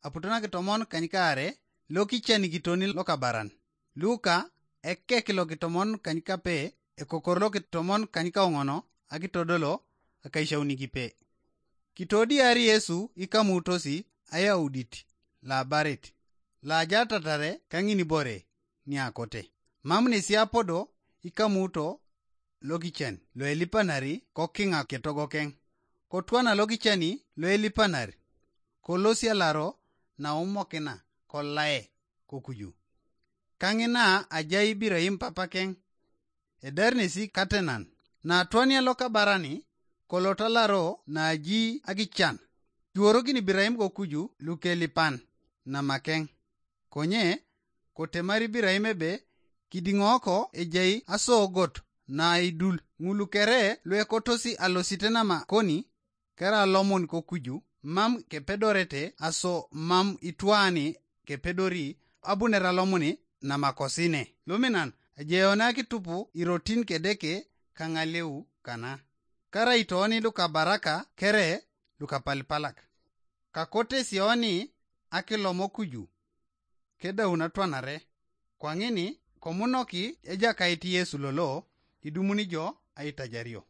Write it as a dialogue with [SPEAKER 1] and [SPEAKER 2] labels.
[SPEAKER 1] aputona kitomon kanyikare loki cheni kitoni lokabaran. Luka ekke kilo kitomon kanyikape ekokorlo kitomon kanyikaongono akitodolo akaishauni kipe. Kitodi ari Yesu ikamutosi ayaudit la barit. La jatatare kangini bore ni akote. Mamni siapodo ikamuto logichen lo elipanari kokinga ketogokeng. Kotwana logicheni lo elipanari. Kolosia laro na umokina kolae kokuju. Kangina ajai Ibrahim papakeng. Ederni katenan. Na atwania loka barani kolota laro na aji agichan. Juorogin Ibrahim kokuju lukelipan na makeng. Konye kotemari Ibrahim ebe kidingoko ejai asogot na idul ngulukere lwekotosi alositena makoni kera lomon kokuju mam kepedorete aso mam itwani kepedori abunera lomoni na makosine. Luminan ajeona kitupu irotin kedeke kangaleu kana. Kara itoni luka baraka kere luka palpalak. Kakote sioni akilomo kuju. Keda unatwanare. Kwangini komunoki eja kaiti Yesu lolo idumuni jo aitajario.